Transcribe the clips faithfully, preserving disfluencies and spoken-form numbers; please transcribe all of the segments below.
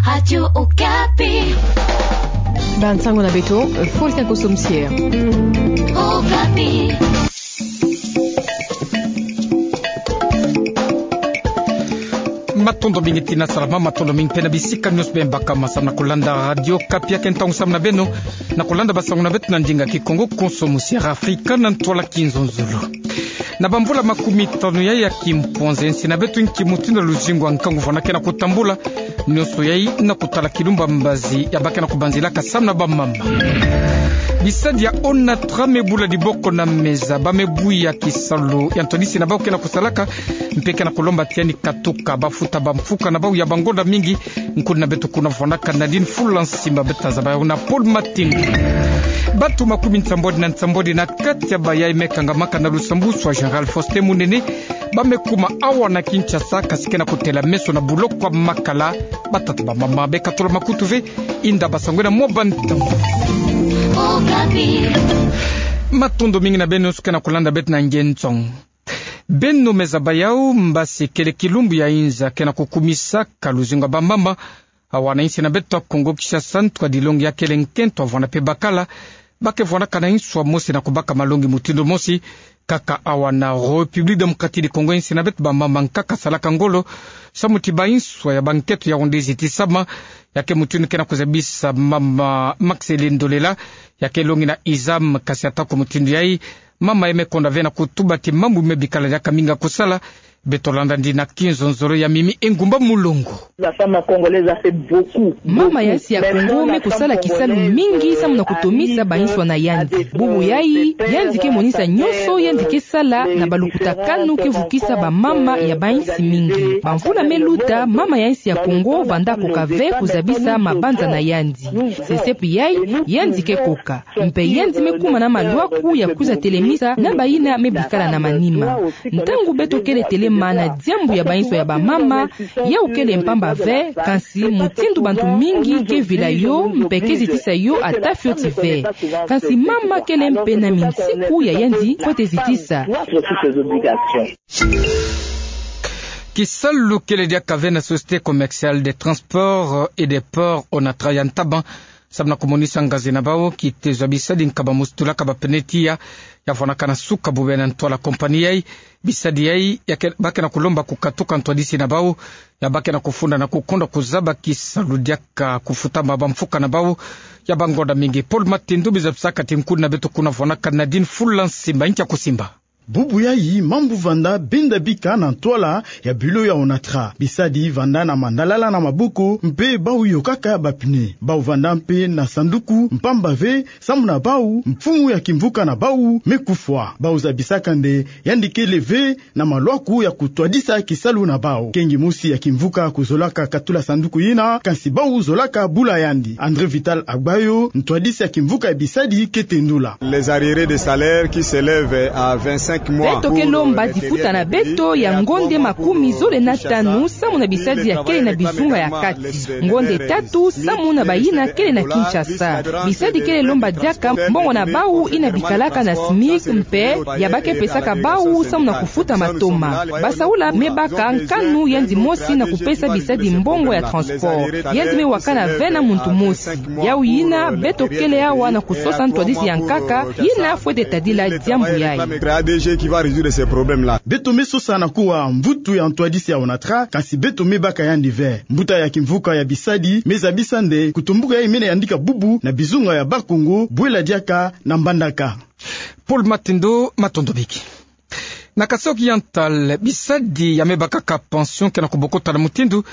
Radio Okapi. Bansango na beto, Faustin Kosomosier. Okapi. Matondo mingi tina salama, matondo mingi mpe na bisika nyonso beno baka ma samu na kulanda Radio Okapi. Yake ntangu samu na beno na kulanda bansango na beto na ndinga Kikongo, Kosomosier Afrika na ntwala Kinzonzolo. Na bamvula makumi tanu ya, ya kimpwanza, nsi na beto nki mutindu luzingu ya nkangu vwanda kena kutambula, nyonso yai na kutala kilumbu ya mbazi ya bake na kubanzilaka samu na bamama. Bisadi ya ONATRA me bula diboko na meza, ba me buya kisalu ya ntwadisi na bau kena kusalaka, mpe kena kulomba ti yandi katuka, ba futa bamfuka na bau ya bangonda mingi. Nkundi na beto kuna vwandaka Nadine Fula Nsimba, beto tazaba yau na Paul Matindu. Bantu makumi nsambwadi na nsambwadi na kati ya bayai me kangamaka na lusambusu ya Général Faustin Munene, ba me kuma awa na Kinshasa, kasi kena kutela meso na buloko ya Makala, batata bamama be katula makutu ve. Inda basangwe na mwa bantu. Matondo mingi na beno nyonso kena kulanda beto na ngentsong. Beno me zaba yau, mbasi kele kilumbu ya inza kena kukumisaka luzingu ya bamama awa na insi na beto ya Kongo Kinshasa, ntwadilongi ya kele nkento avwanda mpe bakala, ba ke vwandaka na inswa mosi na kubaka malongi mutindu mosi. Kaka awa na République Démocratique du Congo, insi na beto, bamama nkaka salaka ngolo samu ti ba inswa ya bankento yau nde zitisama. Yake mutindu kena kuzabisa mama Maxeline Ndolela, yake longi na Isam, kasi atako mutindu yai, mama ya me konda ve na kutuba ti mambu me bikala diaka mingi ya kusala. Beto landa yandi na Kinzonzolo ya Mimi Engumba Mulongo. La femme congolaise a fait beaucoup. Mama ya insi ya Kongo me kusala kisalu mingi samu na kutomisa ba inswa na yandi. Bubu yai, yandi ke monisa nyonso yandi ke sala na balukutakanu ke vukisa bamama ya ba insi mingi. Bamvula me luta, mama ya insi ya Kongo vanda koka ve kuzabisa mabanza na yandi. Sesepi yai, yandi ke koka. Mpe yandi me kuma na malwaku ya kwiza telemisa na bayina me bikala na manima. Ntangu beto kele telema na diambu ya ba inswa ya bamama, yau kele mpamba ve, kansi mutindu bantu mingi ke vila yo, mpe ke zitisa yo ata fioti ve. Kansi mama kele mpe na minsiku ya yandi fwete zitisa. Kisalu kele diaka ve na Société Commerciale des Transports et des Ports, ONATRA, ya ntaba samu na kumonisa ngazi na bau, kitezo ya bisadi nkaba mosi tulaka bapneu tiya, ya vwandaka na suka bobena ntwala compagnie yai. Bisadi yai, ya ke, ba kena kulomba kukatuka ntwadisi na bau, ya ba kena kufunda na kukonda kuzaba kisalu diaka kufutama bamfuka na bau ya bangonda mingi. Paul Matindu, bizabisaka ti nkundi na beto kuna vwandaka Nadine Fula Nsimba, nkia kusimba. Bubu yai mambu vanda benda bika na ntwala ya bureau ya ONATRA. Bisadi vanda na mandalala na maboko, mpe bau yokaka bapneu. Bau vanda mpe na sanduku mpamba ve, samu na bau, mfumu ya kimvuka na bau me kufwa. Bau zabisaka nde yandi kele ve na malwaku ya kutwadisa kisalu na bau. Kengi mosi ya kimvuka kuzolaka katula sanduku yina, kansi bau zolaka bula yandi. André Vital Agbayo, ntwadisi ya kimvuka ya bisadi, ke tendula. Les arriérés de salaire qui s'élèvent à vingt-cinq mois. Beto ke lomba difuta na beto ya ngonde makumi zole na tanu samu na bisadi ya kele na bizunga ya kati. Ngonde tatu samu na bayina kele na Kinshasa. Bisadi kele lomba diaka mbongo na bau yina bikalaka na SMIC mpe ya ba ke pesaka bau samu na kufuta matoma. Basaula me baka nkanu yandi mosi na kupesa bisadi mbongo ya transport. Yandi me wakana ve na muntu mosi. Yau yina, beto kele awa na kusosa ntwadisi ya nkaka yina fwete tadila diambu yai. Beto me sosa na kuwa mvutu ya ntwadisi ya ONATRA, kansi beto me baka yandi ve. Mbuta ya kimvuka ya bisadi me zabisa nde kutumbuka yai mene yandika bubu na bizunga ya Bas-Congo, bwela diaka na Mbandaka. Paul Matindu, matondo biki. Na Kasaï Oriental, bisadi ya me bakaka pension kena kubokota na mutindu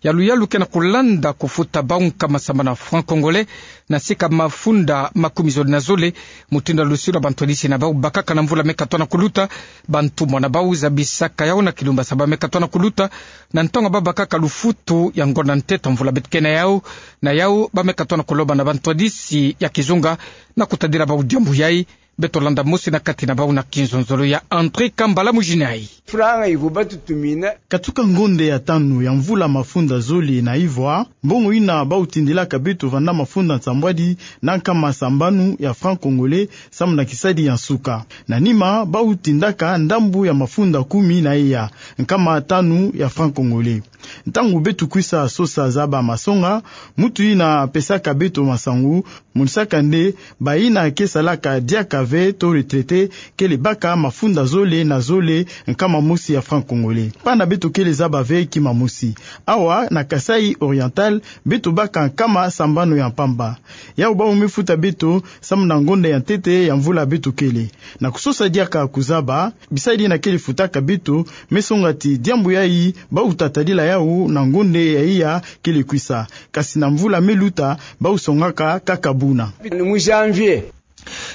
ya luyalu kena kulanda kufuta bau nkama sambanu ya francs congolais na sika mafunda makumi zole na zole, mutindu ya lusilu ya bantwadisi na bau bakaka na mvula me katona kuluta. Bantumwa na bau zabisaka yau na kilumbu ya saba me katona kuluta, na ntangu ya bau bakaka lufutu ya ngonda ntete mvula beto kena yau. Na yau, ba me katona kuloba na bantwadisi ya kizunga na kutadila bau diambu yai, Beto landa mosi na kati na bau na kinzonzolo ya André Kambala Mujinai. Franga iko batutumina. Katuka ngonde ya tanu ya mvula mafunda zole na ivwa, mbongo ina bau tindilaka beto vanda mafunda nsambwadi na nkama sambanu ya franc congolais, samu na kisadi ya nsuka. Na nima, bau tindaka ndambu ya mafunda kumi na iya, nkama tanu ya franc congolais. Ntangu beto kwisa sosa zaba masonga, mutu ina pesaka beto masangu, monisaka nde, bayina ke salaka diaka ve to retraité, kele baka mafunda zole na zole nkama mosi ya franc congolais. Pana beto kele zaba ve kima mosi. Awa, na Kasaï Oriental, beto baka nkama sambanu ya mpamba. Yau bau me futa beto, samu na ngonde ya ntete ya mvula beto kele. Na kusosa diaka kuzaba, bisadi ina kele futaka beto, me songa ti diambu yayi, bau tatadila yau na ngonde ya iya kele kwisa. Kasi na mvula me luta, bau songaka kaka buna. Mu janvier.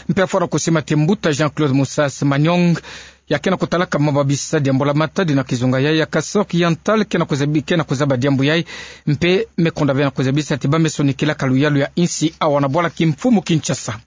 Mpe fwana kusima ti mbuta Jean-Claude Moussa Semanong, ya ke na kutalaka mababisa diambu la matadi na kizunga yayi ya Kasaï Oriental, ke na kuzabi, ke na kuzaba diambu yayi, mpe me konda ve na kuzabisa ti ba me sonikilaka luyalu ya insi awa na bwala kimfumu Kinshasa.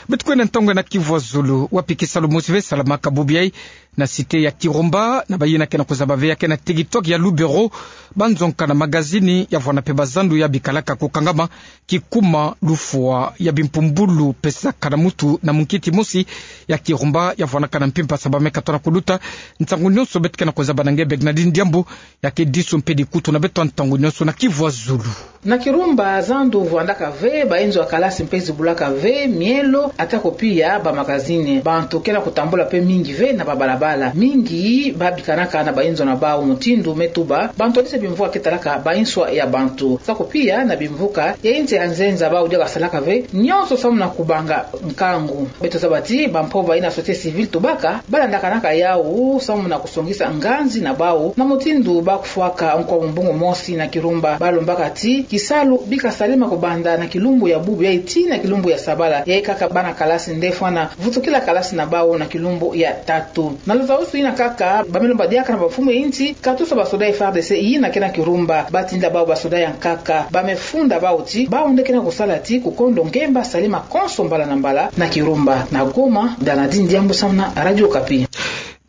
Beto kwenda ntangu na Kivu ya Zulu, wapi kisalu mosi ve salamaka bubu yayi, na cité ya Kirumba, na bayina ke na kuzaba ve ya ke na TikTok ya Lubero, banzonka na magazini, ya vwana mpe bazandu ya bikalaka kukangama, kikuma lufwa ya bimpumbulu pesaka na mutu na munkiti mosi ya Kirumba, ya vwanaka na mpimpa saba meka tona kuluta, ntangu nyonso beto ke na kuzaba na nge Bernardine Diambu, ya ke disu mpe dikutu na beto ntangu nyonso na Kivu ya Zulu. Na Kirumba zandu vwandaka ve, bainzo ya kalasi mpe zibulaka ve, mielo, atako pia ba magazini. Bantu ke na kutambula mpe mingi ve na babalabala. Mingi babikanaka na bainzo na bau mutindu me tuba, bantu ya dise bimvuka ke talaka bainswa ya bantu. Atako pia na bimvuka ya insi ya nzenza bau diaka salaka ve, nyonso samu na kubanga nkangu. Beto zaba ti, bampova ina société civile tubaka, balandakanaka yau, samu na kusongisa nganzi na bau, na mutindu ba kufwaka nkwa mu mbongo mosi na Kirumba, balombaka ti, kisalu bika salama kubanda na kilumbu ya bubu yayi tii na kilumbu ya sabala, yayi kaka bana kalasi nde fwana vutukila kalasi na bau na kilumbu ya tatu. Na luzausu ina kaka, ba me lomba diaka na bamfumu ya insi, katusa basoda ya FARDC yina ke na Kirumba, batinda bau basoda ya nkaka, ba me funda bau ti, bau nde ke na kusala ti, kukondo ngemba salama konso mbala na mbala na Kirumba. Na Goma, Bernardine Diambu samu na Radio Okapi.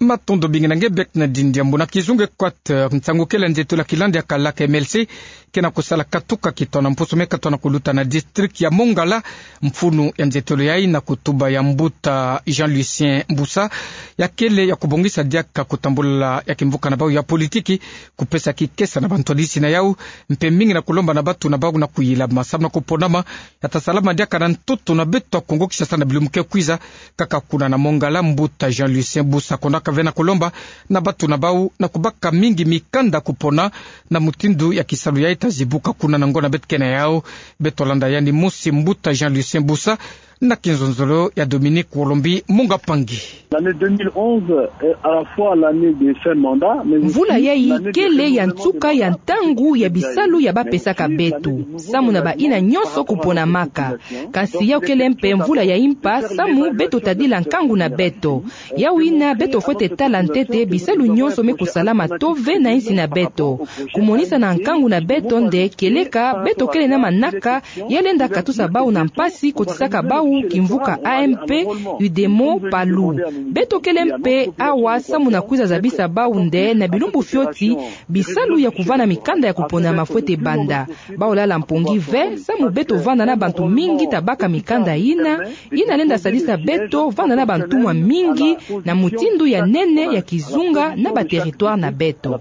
Matondo mingi na nge Bernardine Diambu. Na kizunga Équateur, nsangu kele nzietolo ya kilandi ya kalaka MLC, ke na kusala katuka kitona mpusu meka tona kuluta na district ya Mongala, mfunu ya nzietolo yayi na kutuba ya mbuta Jean Lucien Mbusa, ya kele ya kubongisa diaka kutambula ya kimvuka na bau ya politiki, kupesa kikesa na bantu ya disi na yau, mpe mingi na kulomba na bantu na bau na kuyilama samu na kuponama, ya ta salama diaka na ntoto na beto ya Kongo Kinshasa na bilumbu ke kwiza, kaka kuna na Mongala mbuta Jean Lucien Mbusa kondaka ve na kulomba na bantu na bau na kubaka mingi mikanda kupona na mutindu ya kisalu yayi ta zibuka kuna na ngonda beto ke na yau, beto landa yandi mosi mbuta Jean Lucien Mbusa, na kinzonzolo ya Dominique Wolombi Munga Pangi. L'année deux mille onze est à la fois l'année de fin de mandat, mais aussi l'année de rémunération de mandat. Mvula yayi kele ya nsuka ya ntangu ya bisalu ya bapesaka beto, samu na bayina nyonso kuponamaka. Kasi yau kele mpe mvula ya impa, samu beto tadila nkangu na beto. Yau yina beto fwete tala ntete bisalu nyonso me kusalama tove na insi na beto. Kumonisa na nkangu na beto nde kieleka beto kele na manaka ya lenda katusa bau na mpasi kotisaka bau kimvuka A M P, UDEMO, PALU. Beto kele mpe awa samu na kwiza zabisa bau nde na bilumbu fioti bisalu ya kuvana mikanda ya kuponama fwete banda. Bau lala mpongi ve, samu beto vanda na bantu mingi ta baka mikanda yina, yina lenda sadisa beto vanda na bantumwa mingi na mutindu ya nene ya kizunga na ba territoire na beto.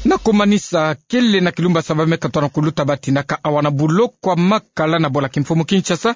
Na kumanisa, kele na kilumbu ya saba meka tona kuluta batinaka awa na buloko ya Makala na bwala kimfumu Kinshasa,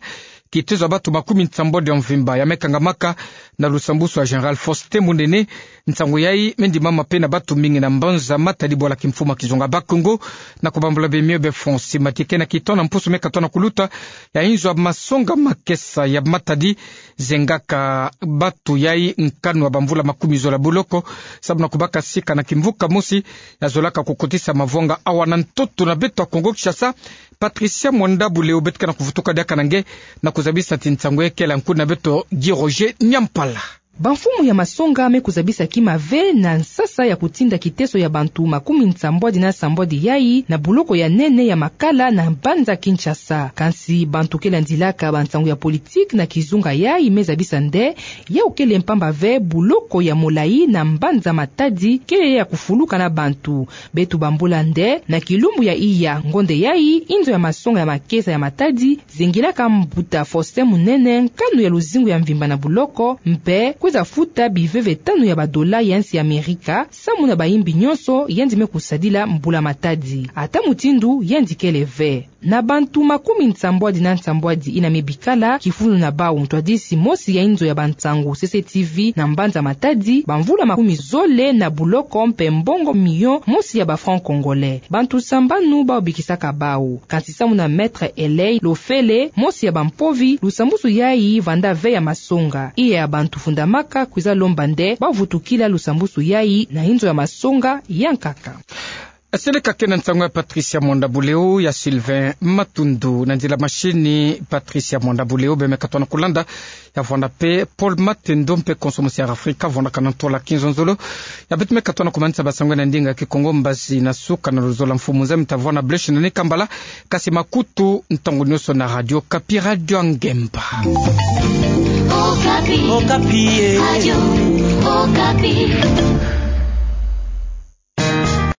kitezo ya bantu makumi nsambwadi ya mvimba ya me kangamaka na lusambusu ya Général Faustin Mundene. Nsangu yayi me ndimama mpe na bantu mingi na mbanza matadi bwala kimfumu ya kizunga Bas-Congo, na kubambula bemio be François Matike na kitona mpusu meka tona kuluta ya inzo ya masonga makesa ya matadi zengaka bantu yayi nkanu ya bamvula makumi zola buloko, samu na kubaka sika na kimvuka mosi ya zolaka kukotisa mavwanga awa na ntoto na beto ya Kongo Kinshasa. Patricia Mwanda Buleo beto ke na kuvutuka diaka na nge na kuzabisa ti nsangu yayi kele nkundi na beto Guy Roger Nyampala. Bamfumu ya masonga me kuzabisa kima ve na nsasa ya kutinda kiteso ya bantu makumi nsambwadi na nsambwadi yai na buloko ya nene ya Makala na mbanza Kinshasa. Kansi bantu ke landilaka bansangu ya politiki na kizunga yai me zabisa nde, yau kele mpamba ve buloko ya molayi na mbanza Matadi kele ya kufuluka na bantu. Beto bambula nde, na kilumbu ya iya ngonde yai, inzo ya masonga ya makesa ya Matadi zengilaka mbuta Faustin Munene, nkanu ya luzingu ya mvimba na buloko, mpe kwiza futa biveve tanu ya badola ya nsi ya Amerika, samu na bayimbi nyonso yandi me kusadila mbula Matadi. Ata mutindu yandi kele ve. Na bantu makumi nsambwadi na nsambwadi ina me bikala kifulu na bau, ntwadisi mosi ya inzo ya bansangu C C T V na mbanza Matadi, bamvula makumi zole na buloko mpe mbongo milion mosi ya ba francs congolais. Bantu sambanu bau bikisaka bau. Kansi samu na Maître Eley Lofele, mosi ya bampovi, lusambusu yai vanda ve ya masonga. Iya ya bantu fundamaka kwiza lomba nde bavutukila lusambusu yai na inzo ya masonga ya nkaka. Seleka ke na nsangu ya Patricia Mwanda Buleo, ya Sylvain Matundu. Na nzila mashini Patricia Mwanda Buleo, beno me katuka na kulanda. Ya vwanda mpe Paul Matendo mpe Konso Musi ya Afrika, vwandaka na ntola kinzonzolo. Ya beto me katuka na kumanisa basangu na ndinga Kikongo, mbazi na suka na luzolo la Mfumu Nzambi. Tavwanda, blessing na ni kambala, kasi makutu ntangu nyonso na Radio Okapi, Radio ya Ngemba. Okapi. Okapi, eh. Radio Okapi.